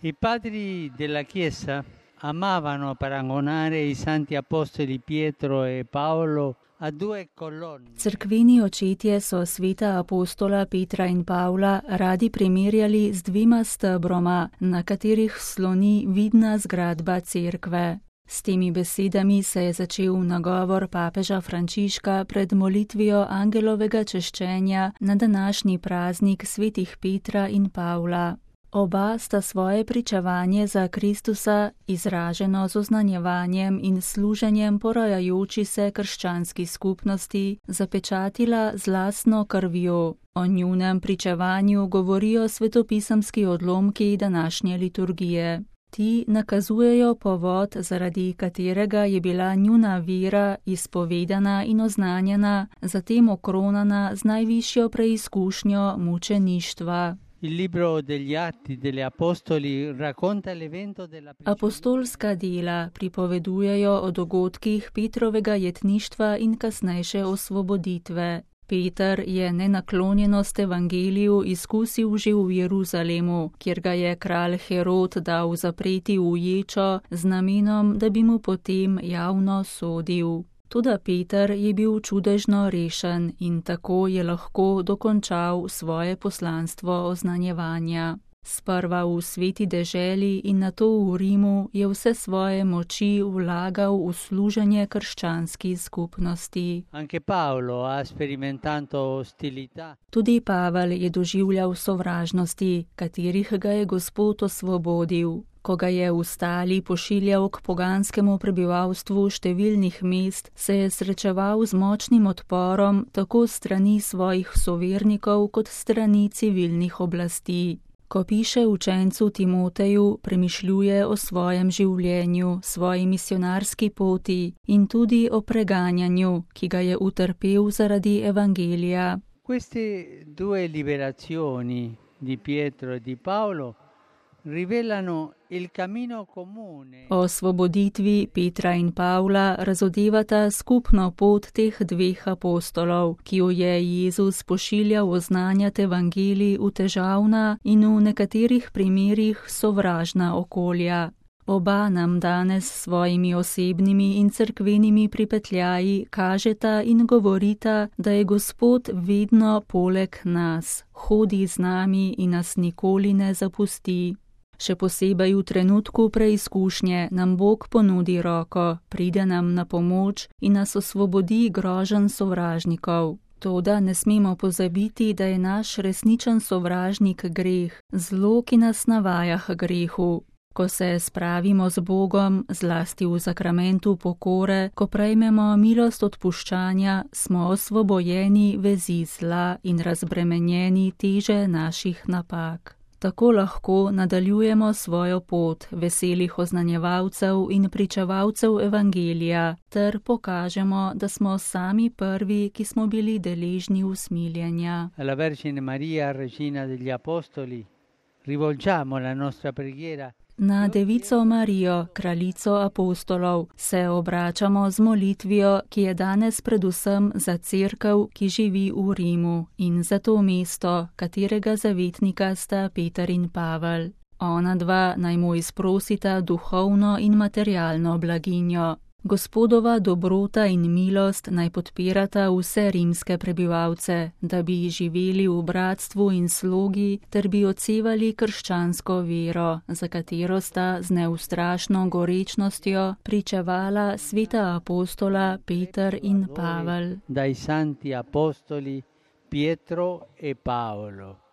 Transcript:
I padri della Chiesa amavano paragonare i santi apostoli Pietro e Paolo a due colonne. Cerkveni očetje so sveta apostola Petra in Pavla radi primerjali z dvima stebroma, na katerih sloni vidna zgradba cerkve. S temi besedami se je začel nagovor papeža Frančiška pred molitvijo angelovega češčenja na današnji praznik svetih Petra in Pavla. Oba sta svoje pričevanje za Kristusa, izraženo z oznanjevanjem in služenjem porajajoči se krščanski skupnosti, zapečatila z lastno krvjo. O njunem pričevanju govorijo svetopisemski odlomki današnje liturgije. Ti nakazujejo povod, zaradi katerega je bila njuna vera izpovedana in oznanjena, zatem okronana z najvišjo preizkušnjo mučeništva. Il libro degli Atti degli Apostoli racconta l'evento della Apostolska dela pripovedujejo o dogodkih Petrovega jetništva in kasnejše osvoboditve. Peter je nenaklonjenost evangeliju izkusil že v Jeruzalemu, kjer ga je kralj Herod dal zapreti v ječo z namenom, da bi mu potem javno sodil. Toda Peter je bil čudežno rešen in tako je lahko dokončal svoje poslanstvo oznanjevanja. Sprva v sveti deželi in nato v Rimu je vse svoje moči vlagal v služenje krščanski skupnosti. Anche Paolo ha sperimentato ostilità. Tudi Pavel je doživljal sovražnosti, katerih ga je Gospod osvobodil. Ko ga je v stali pošiljal k poganskemu prebivalstvu številnih mest, se je srečeval z močnim odporom tako strani svojih sovernikov kot strani civilnih oblasti. Ko piše učencu Timoteju, premišljuje o svojem življenju, svoji misionarski poti in tudi o preganjanju, ki ga je utrpel zaradi evangelija. Queste due liberazioni di Pietro e di Paolo rivelano il cammino comune. O osvoboditvi Petra in Pavla razodevata skupno pot teh dveh apostolov, ki jo je Jezus pošiljal oznanjati evangelij v težavna in v nekaterih primerih sovražna okolja. Oba nam danes s svojimi osebnimi in cerkvenimi pripetljaji kažeta in govorita, da je Gospod vedno poleg nas, hodi z nami in nas nikoli ne zapusti. Še posebej v trenutku preizkušnje nam Bog ponudi roko, pride nam na pomoč in nas osvobodi groženj sovražnikov. Toda ne smemo pozabiti, da je naš resničen sovražnik greh, zlo, ki nas navaja k grehu. Ko se spravimo z Bogom, zlasti v sakramentu pokore, ko prejmemo milost odpuščanja, smo osvobojeni vezi zla in razbremenjeni teže naših napak. Tako lahko nadaljujemo svojo pot veselih oznanjevalcev in pričevalcev evangelija, ter pokažemo, da smo sami prvi, ki smo bili deležni usmiljenja. Alla Vergine Maria, Regina degli Apostoli, rivolgiamo la nostra preghiera. Na Devico Marijo, kraljico apostolov, se obračamo z molitvijo, ki je danes predvsem za cerkev, ki živi v Rimu, in za to mesto, katerega zavetnika sta Peter in Pavel. Ona dva naj mu izprosita duhovno in materialno blaginjo. Gospodova dobrota in milost naj podpirata vse rimske prebivalce, da bi živeli v bratstvu in slogi, ter bi odsevali krščansko vero, za katero sta z neustrašno gorečnostjo pričevala sveta apostola Peter in Pavel. Dai santi apostoli Pietro e Paolo.